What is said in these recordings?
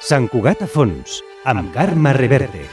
Sant Cugat a fons, amb Carme Reverte.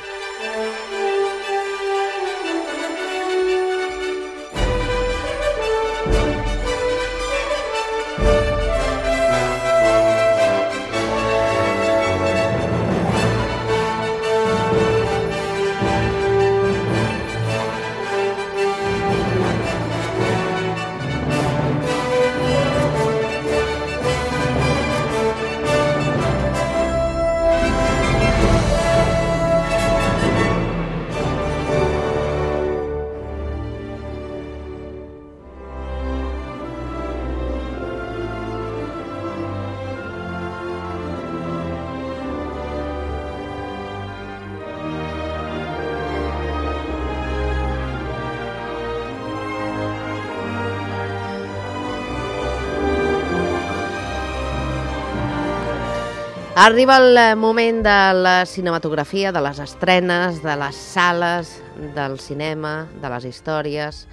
Arriba el moment de la cinematografia, de les estrenes, de les sales, del cinema, de les històries.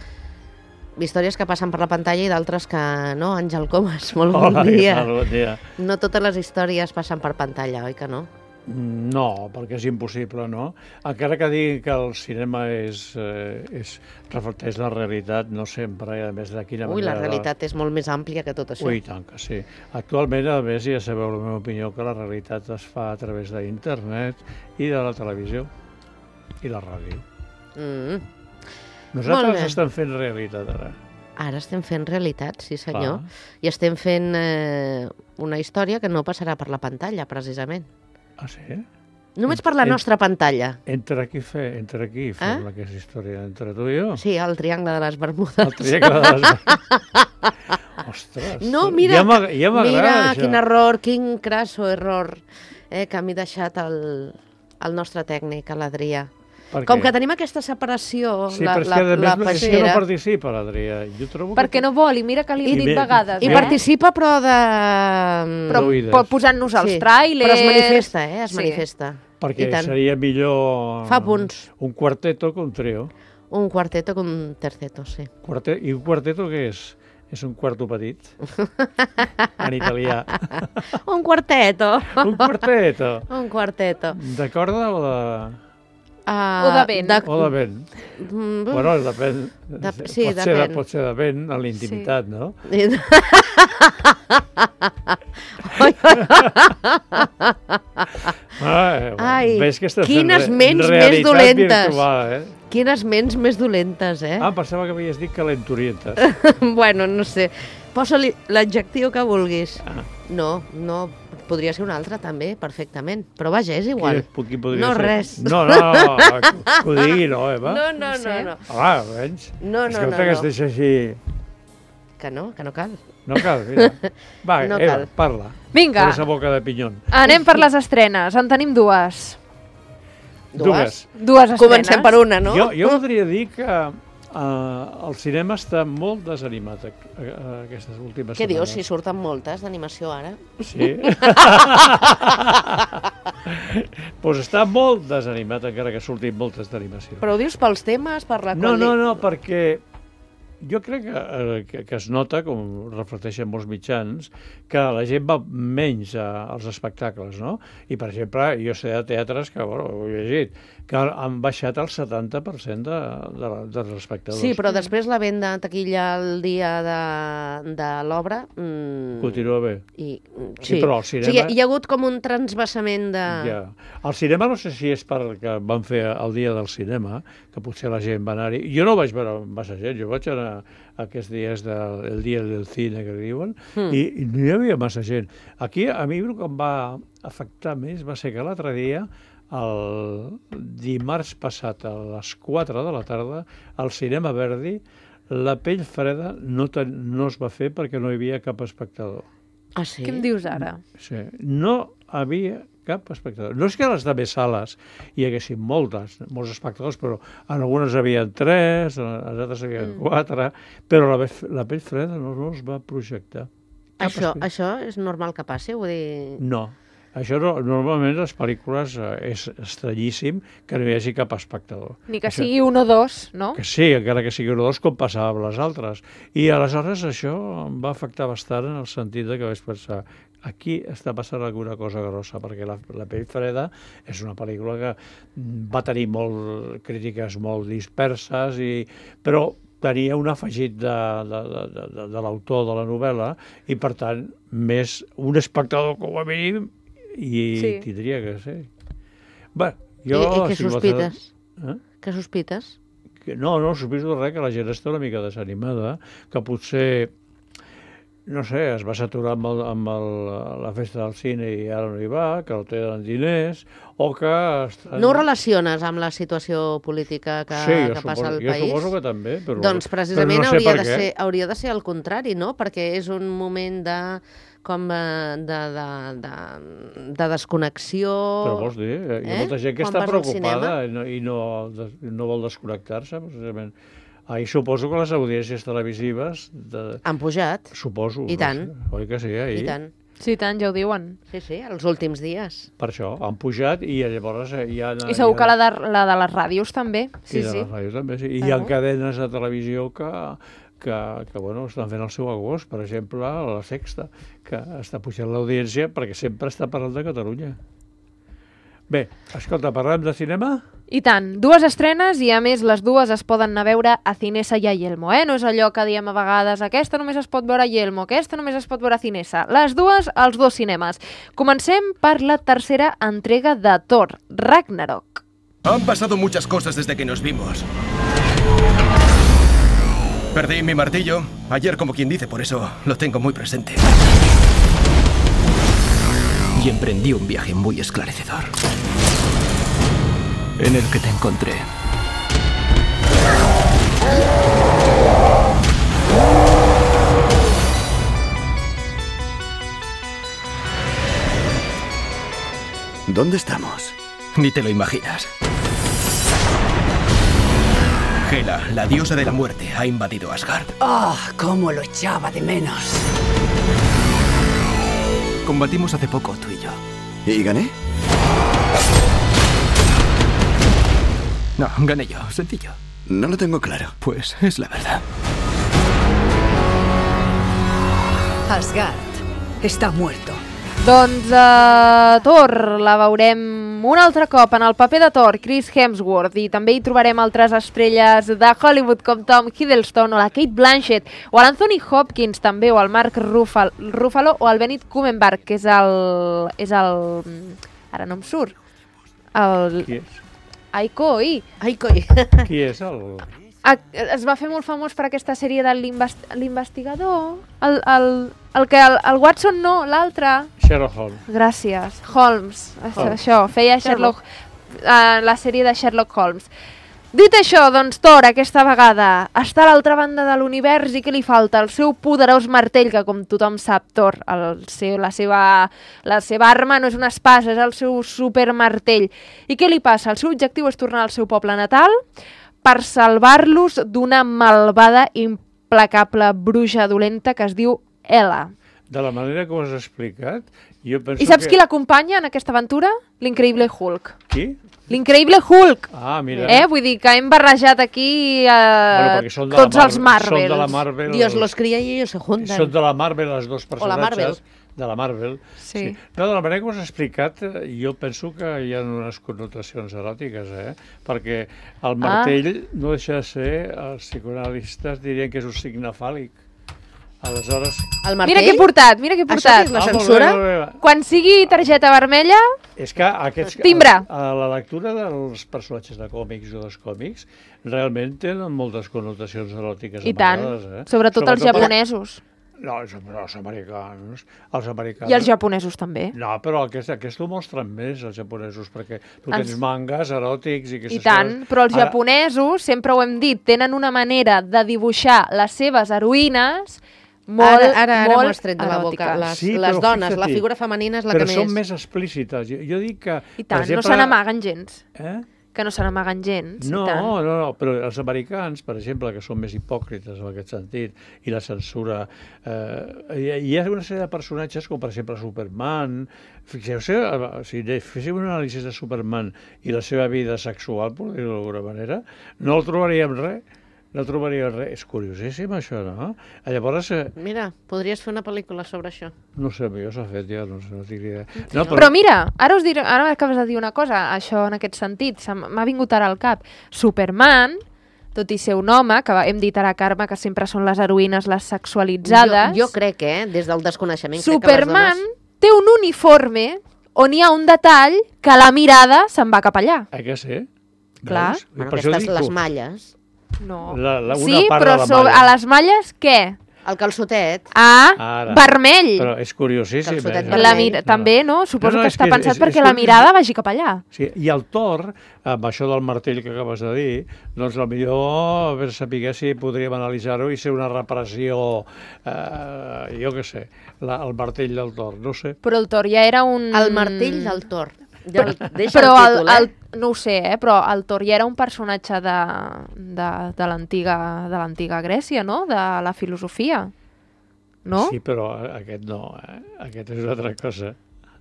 Històries que passen per la pantalla i d'altres que no. Àngel Comas, molt bon dia. Hola, bon dia. No totes les històries passen per pantalla, oi que no? No, perquè és impossible, no? Encara que digui que el cinema reflecteix la realitat, no sempre, i a més de quina manera... Ui, la realitat és molt més àmplia que tot això. Ui, tant que sí. Actualment, a més, ja sabeu la meva opinió, que la realitat es fa a través d'internet i de la televisió i la ràdio. Nosaltres estem fent realitat, ara. Ara estem fent realitat, sí senyor. I estem fent una història que no passarà per la pantalla, precisament. Ah, sí? Només per la nostra pantalla. Entre qui fem aquesta història? Entre tu i jo? Sí, el Triangle de les Bermudes. El Triangle de les Bermudes. Ostres, no, mira, ja m'agrada mira això. Quin error, quin crasso error que m'he deixat el nostre tècnic, l'Adrià. Com que tenim aquesta separació, sí, la peixera... Sí, és que no participa, l'Adrià. Perquè no vol, i mira que li he dit vegades. I participa, però Però posant-nos els tràilers... Però es manifesta, es manifesta. Perquè seria millor... Fa punts. Un quarteto que un trio. Un quarteto que un terceto, sí. I un quarteto què és? És un quarto petit, en italià. Un quarteto. Un quarteto. Un quarteto. De corda o de... O de vent. O de vent. Bueno, depèn. Sí, depèn. Pot ser de vent a la intimitat, no? Ai, quines ments més dolentes. Quines ments més dolentes, Pensava que havies dit calenturientes. Bueno, no sé. Posa-li l'adjectiu que vulguis. No, podria ser un altre també, perfectament. Però vaja, és igual. No, res. No, que ho digui, no, Eva? No. Home, menys. Escolta, que es deixa així... Que no cal. No cal, mira. Va, Eva, parla. Vinga. Per esa boca de pinyón. Anem per les estrenes. En tenim dues. Dues estrenes. Comencem per una, no? Jo voldria dir que el cinema està molt desanimat aquestes últimes setmanes. Què dius, si surten moltes d'animació ara? Sí. Doncs està molt desanimat, encara que surtin moltes d'animació. Però ho dius pels temes, per la qualitat? No, perquè jo crec que es nota, com reflecteixen molts mitjans, que la gent va menys als espectacles, no? I, per exemple, jo sé de teatres que, ho he llegit, que han baixat el 70% dels espectadors. Sí, però després la venda en taquilla el dia de l'obra... Continua bé. Sí, però al cinema... hi ha hagut com un transvasament de... Ja. El cinema no sé si és perquè van fer el dia del cinema, que potser la gent va anar-hi. Jo no vaig veure massa gent, jo vaig anar aquests dies del dia del cine que diuen, i no hi havia massa gent. Aquí, a mi el que em va afectar més va ser que l'altre dia, el dimarts passat a les 4 de la tarda, al Cinema Verdi, la pell freda no es va fer perquè no hi havia cap espectador. Ah, sí? Què em dius ara? Sí, no havia cap espectador. No és que a les altres sales hi haguessin molts espectadors, però en algunes hi havia 3, en les altres hi havia 4, però la pell freda no es va projectar. Això és normal que passi? Vull dir... No. Això normalment les pel·lícules és estranyíssim que no hi hagi cap espectador. Ni que sigui un o dos, no? Que sí, encara que sigui un o dos, com passava amb les altres. I aleshores això em va afectar bastant en el sentit que vaig pensar aquí està passant alguna cosa grossa, perquè la pell freda és una pel·lícula que va tenir crítiques molt disperses, però tenia un afegit de l'autor de la novel·la i, per tant, més un espectador com a mínim i tindria que ser. Bé, jo... I què sospites? Què sospites? No sospito res, que la gent està una mica desanimada, que potser... No sé, es va saturar amb la festa del cine i ara no hi va, que no tenen diners, o que... No ho relaciones amb la situació política que passa al país? Sí, jo suposo que també, però... Doncs precisament hauria de ser el contrari, no? Perquè és un moment de desconnexió... Però vols dir, hi ha molta gent que està preocupada i no vol desconnectar-se, precisament. Ahir suposo que les audiències televisives... Han pujat. Suposo. I tant. Oi que sí, ahir? I tant. Sí, tant, ja ho diuen. Sí, els últims dies. Per això, han pujat i llavors hi ha... I segur que la de les ràdios també. Sí, de les ràdios també, sí. I hi ha cadenes de televisió que estan fent el seu agost. Per exemple, La Sexta, que està pujant l'audiència perquè sempre està parlant de Catalunya. Bé, escolta, parlem de cinema? I tant, 2 estrenes i a més les 2 es poden anar a veure a Cinesa i a Yelmo, No és allò que diem a vegades, aquesta només es pot veure a Yelmo, aquesta només es pot veure a Cinesa. Les 2 als 2 cinemes. Comencem per la tercera entrega de Thor, Ragnarok. Han pasado muchas cosas desde que nos vimos. Perdí mi martillo ayer, como quien dice, por eso lo tengo muy presente. Y emprendí un viaje muy esclarecedor, en el que te encontré. ¿Dónde estamos? Ni te lo imaginas. Hela, la diosa de la muerte, ha invadido Asgard. ¡Ah! ¡Cómo lo echaba de menos! Combatimos hace poco, tú y yo. ¿Y gané? No, gané yo, sencillo. No lo tengo claro. Pues es la verdad. Asgard està muerto. Doncs Thor la veurem un altre cop en el paper de Thor, Chris Hemsworth, i també hi trobarem altres estrelles de Hollywood com Tom Hiddleston o la Kate Blanchett o l'Anthony Hopkins també, o el Mark Ruffalo o el Benedict Cumberbatch, que és el... Ara no em surt. Qui és? Aikoi. Qui és el... Es va fer molt famós per aquesta sèrie de l'investigador, el Watson no, l'altre. Sherlock Holmes. Gràcies. Holmes. Això, feia la sèrie de Sherlock Holmes. Dit això, doncs Thor aquesta vegada està a l'altra banda de l'univers i què li falta? El seu poderós martell, que com tothom sap, Thor, la seva arma no és una espasa, és el seu supermartell. I què li passa? El seu objectiu és tornar al seu poble natal per salvar-los d'una malvada, implacable bruixa dolenta que es diu Hela. De la manera que ho has explicat, jo penso I saps qui l'acompanya en aquesta aventura? L'increïble Hulk. Qui? L'increïble Hulk. Ah, mira. Vull dir que hem barrejat aquí tots els Marvels. Són de la Marvel. Dios los cría y ellos se juntan. Són de la Marvel, els dos personatges. O la Marvel. De la Marvel. Sí. No, de la manera que ho has explicat, jo penso que hi ha unes connotacions eròtiques, perquè el martell no deixa de ser, els psicoanalistes dirien que és un signe fàl·lic. Aleshores... El martell? Mira què he portat, mira què he portat. Això és la censura? Quan sigui targeta vermella... És que aquests... Timbre! A la lectura dels personatges de còmics o dels còmics realment tenen moltes connotacions eròtiques. I tant, sobretot els japonesos. No, els americans. I els japonesos també. No, però aquest ho mostren més, els japonesos, perquè tu tens mangas eròtics i aquestes coses. I tant, però els japonesos, sempre ho hem dit, tenen una manera de dibuixar les seves heroïnes molt Ara m'ho has tret de la boca. Les dones, la figura femenina és la que més... Però són més explícites. Jo dic que... I tant, no se n'amaguen gens. que no se n'amaguen gens. No, i tant. no, però els americans, per exemple, que són més hipòcrites en aquest sentit, i la censura... hi ha una sèrie de personatges, com per exemple Superman. Fixeu-se, si féssiu un anàlisi de Superman i la seva vida sexual, per dir-ho d'alguna manera, no el trobaríem res. No trobaria res. És curiosíssim, això, no? Llavors... Mira, podries fer una pel·lícula sobre això. No sé, jo s'ha fet, ja, no tinc idea. No, Però mira, ara acabes de dir una cosa, això en aquest sentit, m'ha vingut ara al cap. Superman, tot i ser un home, que hem dit ara, Carme, que sempre són les heroïnes les sexualitzades... Jo crec, des del desconeixement... Superman té un uniforme on hi ha un detall que la mirada se'n va cap allà. Que sí? Clar. Bueno, aquestes les malles... No. Una sí, part però de la malla. a les malles, què? El calçotet. Ara. Vermell. Però és curiosíssim. Calçotet vermell. També, no? Suposo que està pensat perquè és la mirada vagi cap allà. Sí, i el Thor, amb això del martell que acabes de dir, doncs potser, a veure, sapiguer si podríem analitzar-ho i ser una repressió, jo què sé, el martell del Thor, no sé. Però el Thor ja era un... El martell del Thor. Ja deixa però el títol, no ho sé, però el Thor ja era un personatge de l'antiga Grècia, no? De la filosofia, no? Sí, però aquest no, aquest és una altra cosa.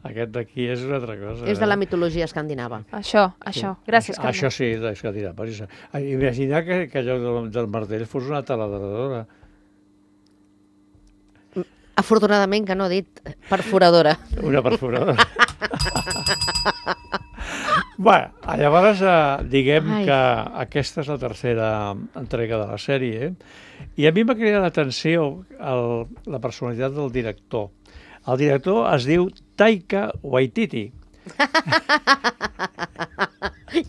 Aquest d'aquí és una altra cosa. És de la mitologia escandinava. Això. Gràcies, Carme. Això sí, d'escandinava. Imagina que allò del martell fos una taladradora. Afortunadament que no ha dit perforadora. Una perforadora. Bé, llavors diguem que aquesta és la tercera entrega de la sèrie i a mi m'ha cridat l'atenció la personalitat del director. El director es diu Taika Waititi.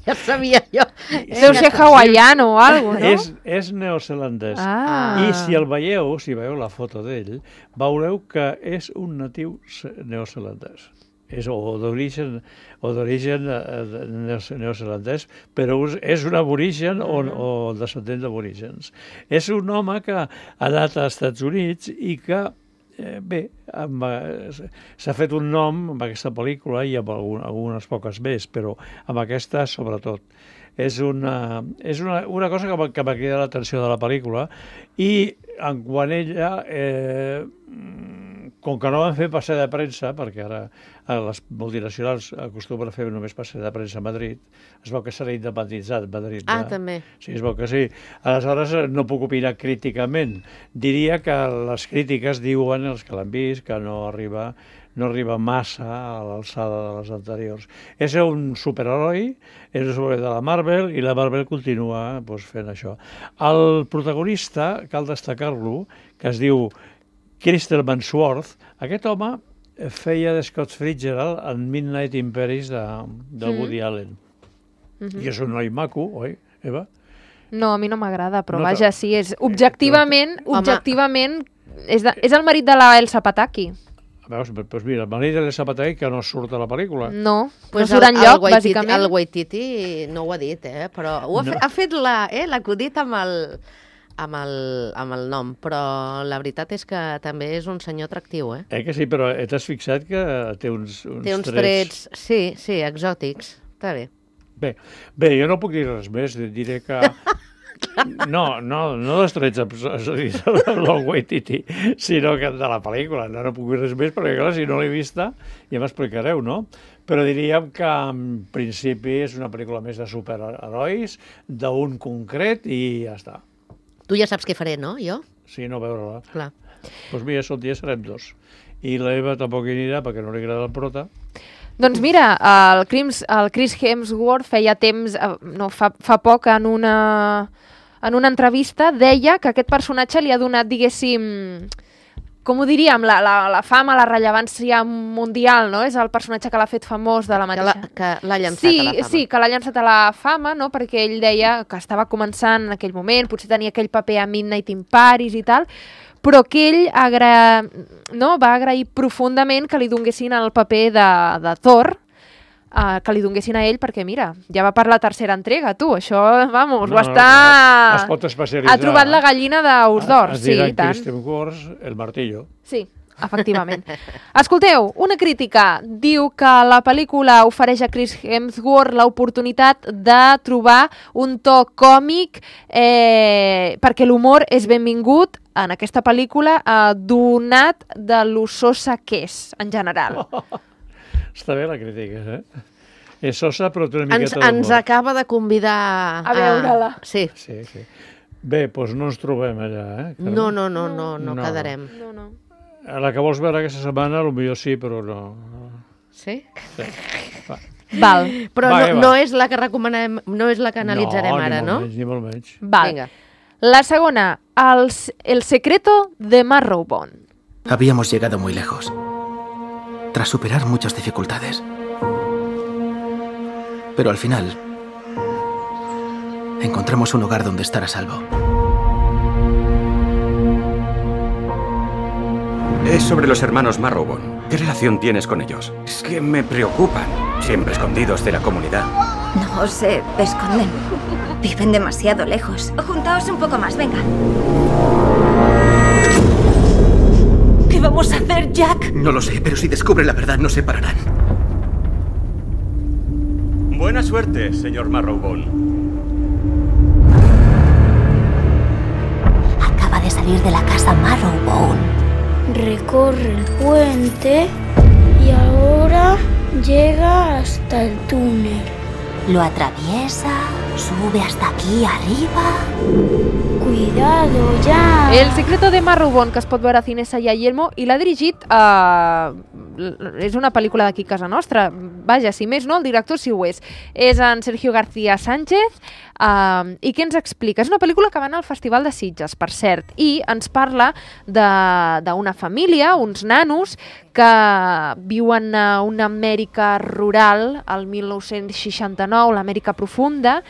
Ja sabia jo. Deu ser hawaiano o alguna cosa, no? És neozelandès. Ah. I si el veieu, si veieu la foto d'ell, veureu que és un natiu neozelandès. És d'origen neozelandès, però és un aborigen o descendent d'aborígens. És un home que ha anat als Estats Units i que, bé, s'ha fet un nom amb aquesta pel·lícula i amb algunes poques més, però amb aquesta sobretot. És una cosa que m'ha cridat l'atenció de la pel·lícula i quan ella... com que no van fer passeig de premsa, perquè ara les multinacionals acostumen a fer només passeig de premsa a Madrid, es veu que serà independitzat Madrid. També. Sí, es veu que sí. Aleshores no puc opinar críticament. Diria que les crítiques diuen, els que l'han vist, que no arriba massa a l'alçada de les anteriors. És un superheroi, és un superheroi de la Marvel i la Marvel continua fent això. El protagonista, cal destacar-lo, que es diu Kristen Mansworth, aquest home feia de Scott Fitzgerald en Midnight in Paris del Woody Allen. I és un noi maco, oi, Eva? No, a mi no m'agrada, però vaja, sí, és objectivament, és el marit de la Elsa Pataki. Veus, doncs mira, el marit de l'Elsa Pataki que no surt a la pel·lícula. No surt enlloc, bàsicament. El Waititi no ho ha dit, però ha fet l'acudit amb el nom, però la veritat és que també és un senyor atractiu, Que sí, però t'has fixat que té uns trets... Sí, exòtics. Està bé. Bé, jo no puc dir res més, diré que... No dels trets del Waititi, sinó que de la pel·lícula. No puc dir res més, perquè clar, si no l'he vista ja m'explicareu, no? Però diríem que en principi és una pel·lícula més de superherois, d'un concret i ja està. Tu ja saps què faré, no, jo? Sí, no veure-la. Clar. Doncs mira, sol dia serem dos. I l'Eva tampoc hi anirà perquè no li agrada el prota. Doncs mira, el Chris Hemsworth feia temps, fa poc en una entrevista, deia que aquest personatge li ha donat, diguéssim, com ho diríem, la fama, la rellevància mundial, no? És el personatge que l'ha fet famós de la mateixa... Que l'ha llançat a la fama. Sí, que l'ha llançat a la fama, no? Perquè ell deia que estava començant en aquell moment, potser tenia aquell paper a Midnight in Paris i tal, però que ell va agrair profundament que li donguessin el paper de Thor, que li donguessin a ell, perquè mira, ja va per la tercera entrega, tu, això, vamos, ho està... Es pot especialitzar. Ha trobat la gallina d'ous d'or, sí, i tant. Es dirà Kristen Wars, el martillo. Sí, efectivament. Escolteu, una crítica diu que la pel·lícula ofereix a Chris Hemsworth l'oportunitat de trobar un to còmic perquè l'humor és benvingut en aquesta pel·lícula donat de lo sosa que és, en general. Està bé la crítica, És sosa, però té una miqueta Ens d'humor. acaba de convidar A veure-la. Sí. Sí. Bé, doncs no ens trobem allà, Carme? No quedarem. No. A la que vols veure aquesta setmana, potser sí, però no. Sí? Sí. Va. Val. Però Va, no és la que recomanem, no és la que analitzarem ara, no? Ni molt menys. Val. Vinga. La segona, El secreto de Marrowbone. Habíamos llegado muy lejos, tras superar muchas dificultades. Pero al final, encontramos un hogar donde estar a salvo. Es sobre los hermanos Marrowbone. ¿Qué relación tienes con ellos? Es que me preocupan. Siempre escondidos de la comunidad. No se esconden. Viven demasiado lejos. Juntaos un poco más, venga. ¿Qué vamos a hacer, Jack? No lo sé, pero si descubren la verdad nos separarán. Buena suerte, señor Marrowbone. Acaba de salir de la casa Marrowbone. Recorre el puente y ahora llega hasta el túnel. Lo atraviesa, sube hasta aquí arriba. Cuidado, ya. El secreto de Marrowbone, que es pot veure a Cine Salla i Elmo, i l'ha dirigit és una pel·lícula d'aquí a casa nostra. Vaja, si més no, el director sí ho és. És en Sergio García Sánchez. I què ens explica? És una pel·lícula que va anar al Festival de Sitges, per cert, i ens parla d'una família, uns nanos, que viuen a una Amèrica rural, al 1969, l'Amèrica profunda.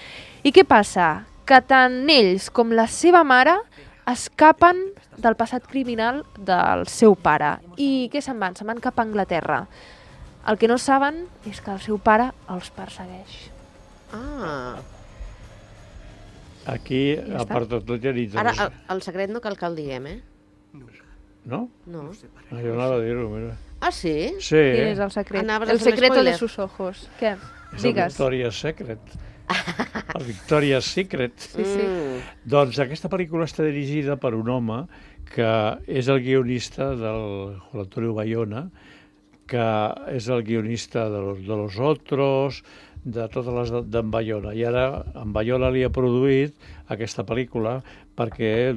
I què passa? Que tant ells com la seva mare escapen del passat criminal del seu pare. I què se'n van? Se'n van cap a Anglaterra. El que no saben és que el seu pare els persegueix. Aquí, a part de tot, ja nits... Ara, el secret no cal que el diguem, No? No. Jo anava a dir-ho, mira. Ah, sí? Sí. Quin és el secret? Anaves a El fer un secreto de spoiler. sus ojos. Què? És el Digues. Victoria's Secret. El Victoria's Secret. Sí, sí. Doncs aquesta pel·lícula està dirigida per un home que és el guionista del Juan Antonio Bayona, que és el guionista de Los Otros, de totes les d'en Bayona. I ara en Bayona li ha produït aquesta pel·lícula perquè,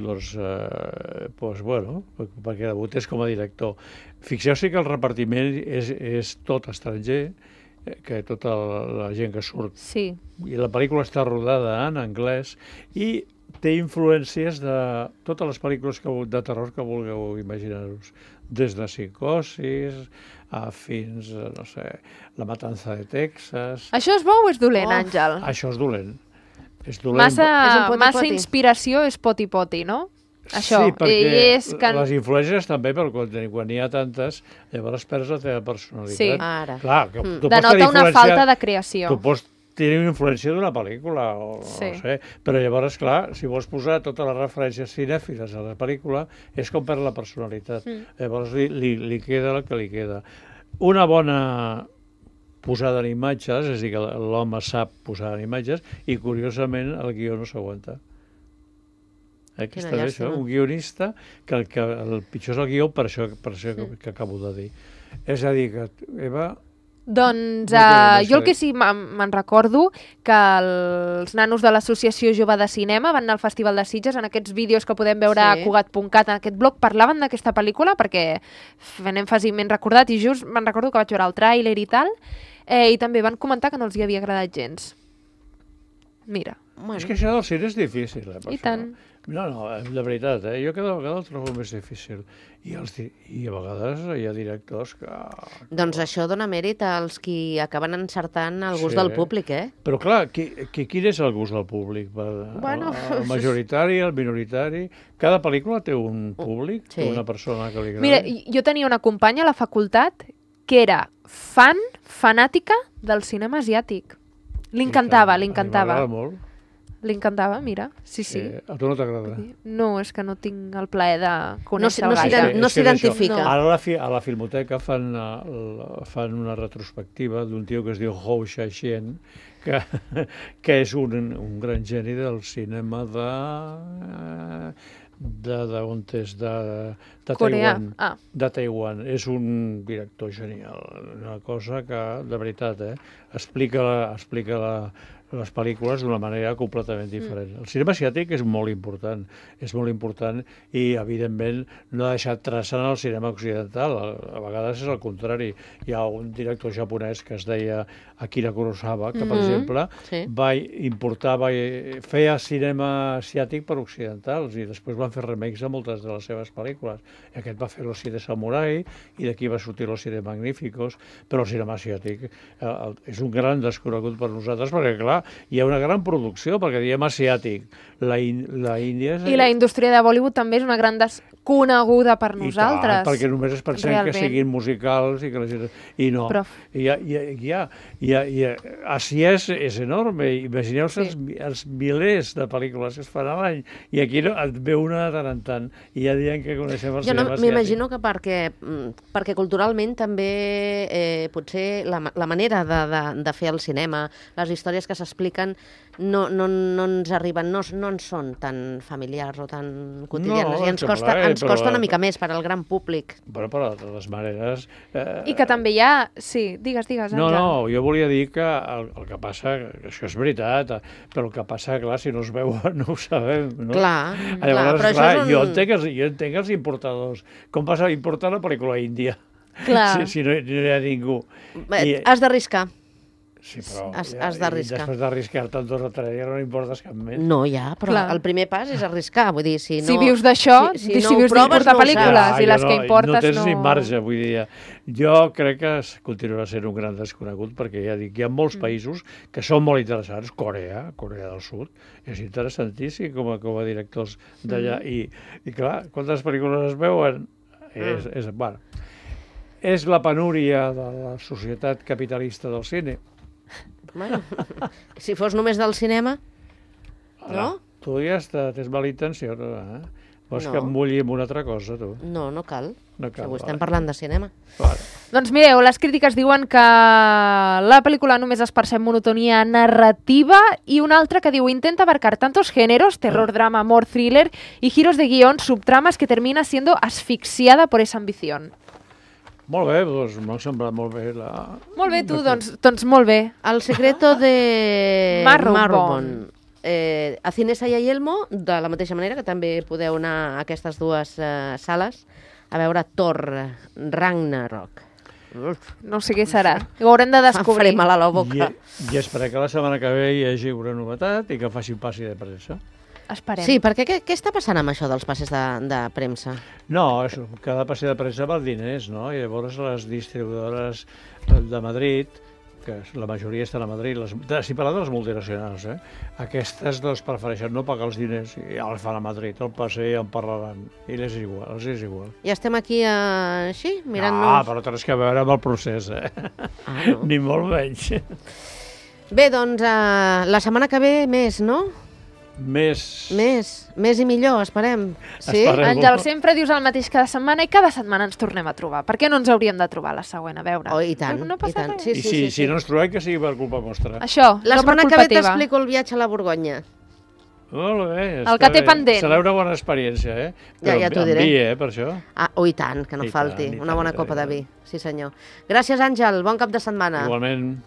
perquè debutés com a director. Fixeu-vos que el repartiment és tot estranger, que tota la gent que surt. Sí. I la pel·lícula està rodada en anglès i té influències de totes les pel·lícules de terror que vulgueu imaginar-vos. Des de Psicosis fins, no sé, La matanza de Texas... Això és bo o és dolent, Àngel? Això és dolent. És dolent. Massa inspiració és poti-poti, no? Això. Sí, perquè és que... les influències també, però quan n'hi ha tantes, llavors perds la teva personalitat. Sí. Ara. Clar, que tu pots denota tenir una falta de creació. Tu pots tenir una influència d'una pel·lícula, Sí. no sé, però llavors, clar, si vols posar totes les referències cinèfiles a la pel·lícula, és com perd la personalitat. Llavors li queda el que li queda. Una bona posada en imatges, és a dir, que l'home sap posar en imatges, i curiosament el guió no s'aguanta. Aquesta és això, un guionista que el pitjor és el guió per això que acabo de dir. És a dir, que Eva... Doncs jo el que sí me'n recordo que els nanos de l'Associació Jove de Cinema van anar al Festival de Sitges, en aquests vídeos que podem veure a Cugat.cat, en aquest blog, parlaven d'aquesta pel·lícula perquè anem fàcilment recordat i just me'n recordo que vaig veure el tràiler i tal, i també van comentar que no els hi havia agradat gens. Mira. Bueno. És que això del cine és difícil, I tant. No, de veritat, jo cada vegada el trobo més difícil. I a vegades hi ha directors que... Doncs això dona mèrit als qui acaben encertant el gust del públic, Però clar, quin és el gust del públic? El majoritari, el minoritari... Cada pel·lícula té un públic, una persona que li agrada. Mira, jo tenia una companya a la facultat que era fanàtica del cinema asiàtic. Li encantava. M'agrada molt. Li encantava, mira. Sí. A tu no t'agrada? No, és que no tinc el plaer de conèixer no s'identifica. Ara a la Filmoteca fan una retrospectiva d'un tio que es diu Hou Hsiao-hsien, que és un gran geni del cinema de Taiwan. De Taiwan. És un director genial. Una cosa que, de veritat, explica les pel·lícules d'una manera completament diferent. El cinema asiàtic és molt important i, evidentment, no ha deixat traça en el cinema occidental. A vegades és el contrari. Hi ha un director japonès que es deia Akira Kurosawa, que, per exemple, feia cinema asiàtic per occidentals i després van fer remakes a moltes de les seves pel·lícules. I aquest va fer Los Siete Samurai i d'aquí va sortir Los Siete Magníficos, però el cinema asiàtic és un gran desconegut per nosaltres perquè, clar, hi ha una gran producció, perquè diem asiàtic. La Índia és... I la indústria de Bollywood també és una gran desconeguda per nosaltres. I tant, perquè només es pensem que siguin musicals i que la gent... I no. Així és enorme. Imagineu-se els milers de pel·lícules que es fan a l'any i aquí et ve una de tant en tant i ja diem que coneixem el cinema asiàtic. M'imagino que perquè culturalment també potser la manera de fer el cinema, les històries que s'expliquen no ens arriben, no ens són tan familiars o tan quotidianes i ens costa una mica més per al gran públic. Però de totes maneres... I que també hi ha... Sí, digues, Àngel. No, jo volia dir que el que passa, això és veritat, però el que passa, clar, si no es veuen no ho sabem, no? Clar, però això és un... Jo entenc els importadors. Com passa a importar una pel·lícula índia? Clar. Si no hi ha ningú. Has d'arriscar. Sí, però has d'arriscar. Després d'arriscar-te en 2 o 3 dies no importes cap més. No, però el primer pas és arriscar. Vull dir, si vius d'això, si vius d'importar pel·lícules i les que importes no tens ni marge, vull dir. Jo crec que continuarà sent un gran desconegut perquè ja dic, hi ha molts països que són molt interessants. Corea del Sud, és interessantíssim com a directors d'allà. I clar, quantes pel·lícules es veuen? És la penúria de la societat capitalista del cine. Bueno, si fos només del cinema, no? Tu ja tens mala intenció, no? Vols que em mulli amb una altra cosa, tu? No cal. Avui estem parlant de cinema. Doncs mireu, les crítiques diuen que la pel·lícula només es percep monotonia narrativa i una altra que diu intenta abarcar tantos géneros, terror, drama, amor, thriller y giros de guión, subtramas que termina siendo asfixiada por esa ambición. Molt bé, doncs m'ha semblat molt bé Molt bé, tu, doncs molt bé. El secreto de Marrowbone. A Cinesa i a Yelmo, de la mateixa manera que també podeu anar a aquestes dues sales a veure Thor Ragnarok. No sé què serà. Ho haurem de descobrir. Faré mal a la boca. I esperem que la setmana que ve hi hagi una novetat i que faci un passi de premsa. Esperem. Sí, perquè què està passant amb això dels passes de premsa? No, cada passi de premsa val diners, no? I llavors les distribuïdores de Madrid, que la majoria estan a Madrid, si parlem de les multinacionals, aquestes prefereixen no pagar els diners i ja els fan a Madrid, el passe ja en parlaran, i els és igual. I estem aquí així, mirant-nos... Però tens que veure amb el procés, no. Ni molt menys. Bé, doncs la setmana que ve més, no? Més i millor, esperem. Sí? Àngel, sempre dius el mateix cada setmana i cada setmana ens tornem a trobar. Per què no ens hauríem de trobar la següent? A veure. Oh, i tant, no passa res. Sí. Si no ens trobem, que sigui per culpa vostra. Això, la setmana que ve t'explico el viatge a la Borgonya. Molt bé. El que té pendent. Serà una bona experiència, Ja t'ho diré. Amb vi, per això. I tant, que no falti. Una bona copa de vi. Sí, senyor. Gràcies, Àngel. Bon cap de setmana. Igualment.